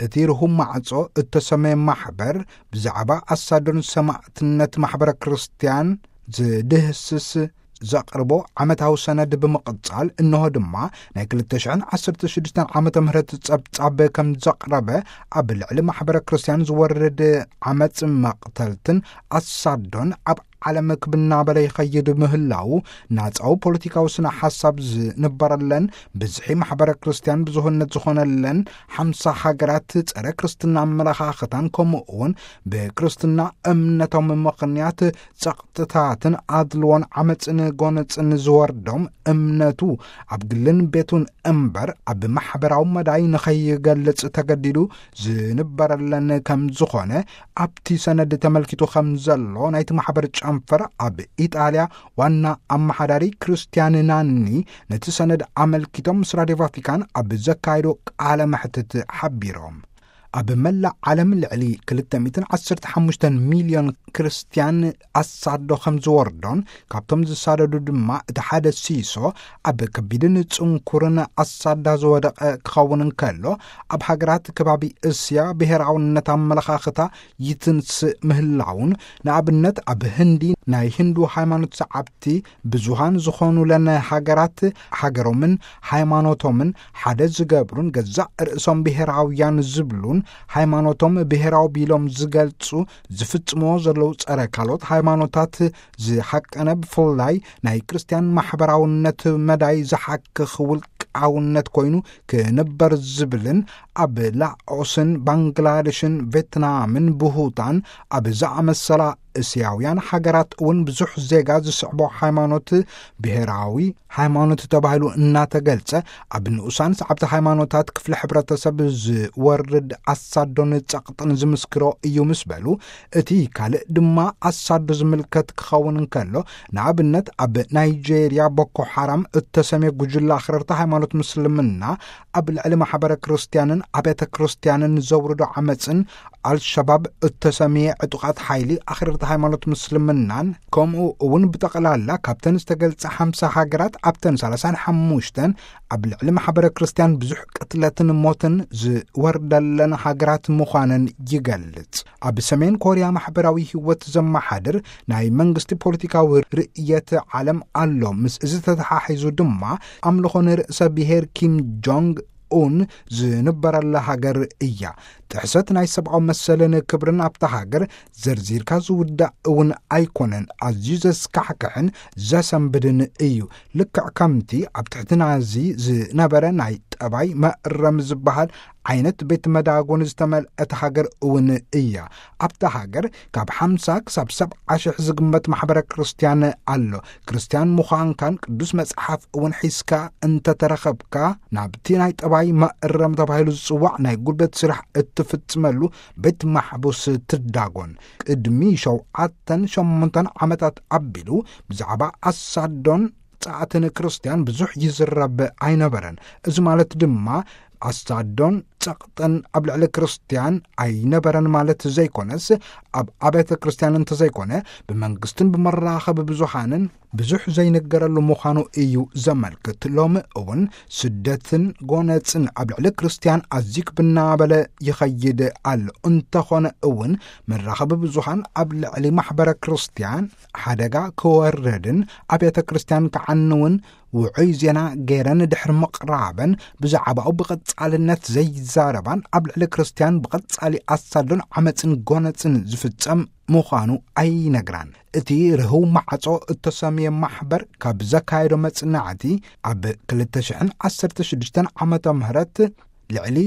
እቲ ርሁም ማዕጾ እተሰመየ ማሕበር ብዛዕባ ኣሳዶን ሰማዕትነት ማሕበረ ክርስትያን ዝድህስስ ዘቕርቦ ዓመታዊ ሰነድ ብምቕጻል፣ እንሆ ድማ ናይ ክልተ ሽሕን ዓሰርተ ሽዱሽተን ዓመተ ምህረት ጸብጻብ ከም ዘቕረበ፣ ኣብ ልዕሊ ማሕበረ ክርስትያን ዝወርድ ዓመጽ፣ መቕተልትን ኣሳዶን ኣብ ዓለም ክብናበለ ይኸይድ ምህላው፣ ናጻዊ ፖለቲካዊ ስነ ሓሳብ ዝንበረለን፣ ብዝሒ ማሕበረ ክርስትያን ብዙህነት ዝኾነለን ሓምሳ ሃገራት፣ ጸረ ክርስትና ኣመለኻኽታን ከምኡ እውን ብክርስትና እምነቶም ምኽንያት ጸቕጥታትን ኣድልዎን ዓመጽን ጎነጽን ዝወርዶም፣ እምነቱ ኣብ ግልን ቤቱን እምበር ኣብ ማሕበራዊ መዳይ ንኸይገልጽ ተገዲዱ ዝንበረለን ከም ዝኾነ ኣብቲ ሰነድ ተመልኪቱ ከም ዘሎ ናይቲ ማሕበር ጨንፈር ኣብ ኢጣልያ ዋና ኣመሓዳሪ ክርስቲያን ናኒ ነቲ ሰነድ ኣመልኪቶም ምስ ራድዮ ቫቲካን ኣብ ዘካየዶ ቃለ መሕትት ሓቢሮም። ኣብ መላእ ዓለም ልዕሊ ክልተ ሚእትን ዓሰርተ ሓሙሽተን ሚልዮን ክርስትያን ኣሳዶ ከም ዝወርዶን፣ ካብቶም ዝሳደዱ ድማ እቲ ሓደ ሲሶ ኣብ ከቢድን ጽንኩርን ኣሳዳ ዝወደቐ ክኸውን እንከሎ፣ ኣብ ሃገራት ከባቢ እስያ ብሄራውነት ኣመለኻኽታ ይትንስእ ምህላውን፣ ንኣብነት ኣብ ህንዲ ናይ ሂንዱ ሃይማኖት ሰዓብቲ ብዙሃን ዝኾኑለን ሃገራት፣ ሃገሮምን ሃይማኖቶምን ሓደ ዝገብሩን ገዛእ ርእሶም ብሄራውያን ዝብሉን ሃይማኖቶም ብሄራዊ ቢሎም ዝገልጹ ዝፍጽምዎ ዘለዉ ጸረ ካልኦት ሃይማኖታት ዝሓቀነ፣ ብፍላይ ናይ ክርስትያን ማሕበራውነት መዳይ ዝሓክኽ ውልቃውነት ኮይኑ ክንበር ዝብልን፣ ኣብ ላኦስን ባንግላደሽን ቬትናምን ብሁታን ኣብ ዝኣመሰላ እስያውያን ሃገራት እውን ብዙሕ ዜጋ ዝስዕቦ ሃይማኖት ብሄራዊ ሃይማኖት ተባሂሉ እናተገልጸ፣ ኣብ ንኡሳን ሰዓብቲ ሃይማኖታት ክፍሊ ሕብረተሰብ ዝወርድ ኣሳዶን ጸቕጥን ዝምስክሮ እዩ ምስ በሉ፣ እቲ ካልእ ድማ ኣሳዶ ዝምልከት ክኸውን እንከሎ፣ ንኣብነት ኣብ ናይጄርያ ቦኮ ሓራም እተሰምየ ጉጅለ ኣኽረርቲ ሃይማኖት ምስልምና ኣብ ልዕሊ ማሕበረ ክርስትያንን ኣብያተ ክርስትያንን ዘውርዶ ዓመጽን፣ ኣልሸባብ እተሰምየ ዕጡቓት ሓይሊ ኣኽረርቲ ሃይማኖት ምስልምናን፣ ከምኡ እውን ብጠቕላላ ካብተን ዝተገልጸ ሓምሳ ሃገራት ኣብተን ሰላሳን ሓሙሽተን ኣብ ልዕሊ ማሕበረ ክርስትያን ብዙሕ ቅትለትን ሞትን ዝወርደለን ሃገራት ምዃነን ይገልጽ። ኣብ ሰሜን ኮርያ ማሕበራዊ ህይወት ዘመሓድር ናይ መንግስቲ ፖለቲካዊ ርእየት ዓለም ኣሎ። ምስ እዚ ተተሓሒዙ ድማ ኣምልኾ ንርእሰ ብሔር ኪም ጆንግ ኡን ዝንበረላ ሃገር እያ። ጥሕሰት ናይ ሰብኣዊ መሰልን ክብርን ኣብታ ሃገር ዘርዚርካ ዝውዳእ እውን ኣይኮነን። ኣዝዩ ዘስካሕክሕን ዘሰንብድን እዩ። ልክዕ ከምቲ ኣብ ትሕቲ ናዚ ዝነበረ ናይ ጠባይ መእረም ዝበሃል ዓይነት ቤት መዳጎኒ ዝተመልአት ሃገር እውን እያ። ኣብታ ሃገር ካብ ሓምሳ ክሳብ ሰብዓ ሽሕ ዝግመት ማሕበረ ክርስትያን ኣሎ። ክርስትያን ምዃንካን ቅዱስ መጽሓፍ እውን ሒዝካ እንተተረኸብካ፣ ናብቲ ናይ ጠባይ መእረም ተባሂሉ ዝጽዋዕ ናይ ጉልበት ስራሕ እትፍጽመሉ ቤት ማሕቡስ ትዳጎን። ቅድሚ ሸውዓተን ሸሞንተን ዓመታት ኣቢሉ ብዛዕባ ኣሳዶን ጸዓትን ክርስትያን ብዙሕ ይዝረብ ኣይነበረን። እዚ ማለት ድማ ኣሳዶን ጸቕጥን ኣብ ልዕሊ ክርስትያን ኣይነበረን ማለት ዘይኮነስ፣ ኣብ ኣብያተ ክርስትያን እንተዘይኮነ ብመንግስትን ብመራኸቢ ብዙሃንን ብዙሕ ዘይነገረሉ ምዃኑ እዩ ዘመልክት። ሎሚ እውን ስደትን ጎነጽን ኣብ ልዕሊ ክርስትያን ኣዝዩ ክብናበለ ይኸይድ ኣሎ። እንተኾነ እውን መራኸቢ ብዙሃን ኣብ ልዕሊ ማሕበረ ክርስትያን ሓደጋ ክወርድን ኣብያተ ክርስትያን ክዓንውን ውዑይ ዜና ገይረን ድሕሪ ምቕራበን፣ ብዛዕባኡ ብቐጻልነት ዘይዛረባን ኣብ ልዕሊ ክርስትያን ብቐጻሊ ኣሳዶን ዓመጽን ጎነጽን ዝፍጸም ምዃኑ ኣይነግራን። እቲ ርህው ማዕጾ እተሰምየ ማሕበር ካብ ዘካየዶ መጽናዕቲ፣ ኣብ ክልተ ሽሕን ዓሰርተ ሽዱሽተን ዓመተ ምህረት ልዕሊ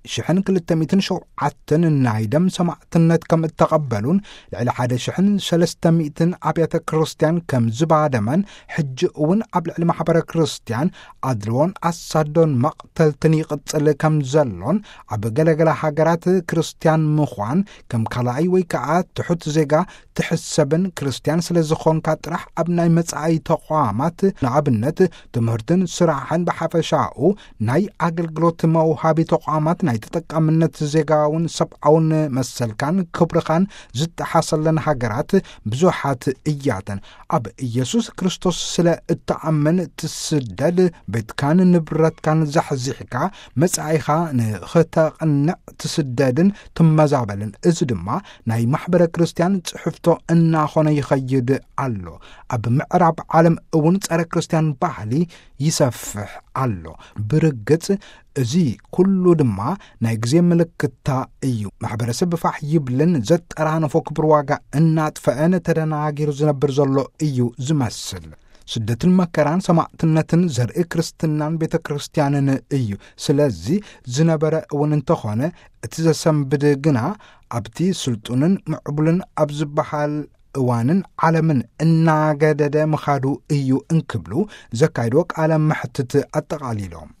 ሽሕን ክልተ ሚእትን ሸውዓተን ናይ ደም ሰማዕትነት ከም እተቐበሉን፣ ልዕሊ ሓደ ሽሕን ሰለስተ ሚእትን ኣብያተ ክርስትያን ከም ዝባደመን፣ ሕጂ እውን ኣብ ልዕሊ ማሕበረ ክርስትያን ኣድልዎን ኣሳዶን መቕተልትን ይቕጽል ከም ዘሎን፣ ኣብ ገለገለ ሃገራት ክርስትያን ምዃን ከም ካልኣይ ወይ ከኣ ትሑት ዜጋ ትሕሰብን፣ ክርስትያን ስለ ዝኾንካ ጥራሕ ኣብ ናይ መጻኢ ተቋማት፣ ንኣብነት ትምህርትን ስራሕን ብሓፈሻኡ ናይ ኣገልግሎት መውሃቢ ተቋማት ናይ ተጠቃምነት ዜጋውን ሰብኣውን መሰልካን ክብርኻን ዝጠሓሰለን ሃገራት ብዙሓት እያተን። ኣብ ኢየሱስ ክርስቶስ ስለ እትኣምን ትስደድ፣ ቤትካን ንብረትካን ዛሕዚሕካ መጻኢኻ ንኽተቕንዕ ትስደድን ትመዛበልን። እዚ ድማ ናይ ማሕበረ ክርስቲያን ጽሕፍቶ እናኾነ ይኸይድ ኣሎ። ኣብ ምዕራብ ዓለም እውን ጸረ ክርስቲያን ባህሊ ይሰፍሕ ኣሎ። ብርግጽ እዚ ኩሉ ድማ ናይ ግዜ ምልክታ እዩ። ማሕበረሰብ ፋሕ ይብልን ዘጠራነፎ ክብር ዋጋ እናጥፈአን ተደናጊሩ ዝነብር ዘሎ እዩ ዝመስል። ስደትን መከራን ሰማዕትነትን ዘርኢ ክርስትናን ቤተ ክርስቲያንን እዩ። ስለዚ ዝነበረ እውን እንተኾነ እቲ ዘሰንብድ ግና ኣብቲ ስልጡንን ምዕቡልን ኣብ ዝበሃል እዋንን ዓለምን እናገደደ ምኻዱ እዩ እንክብሉ ዘካይድዎ ቃለ መሕትት ኣጠቓሊሎም።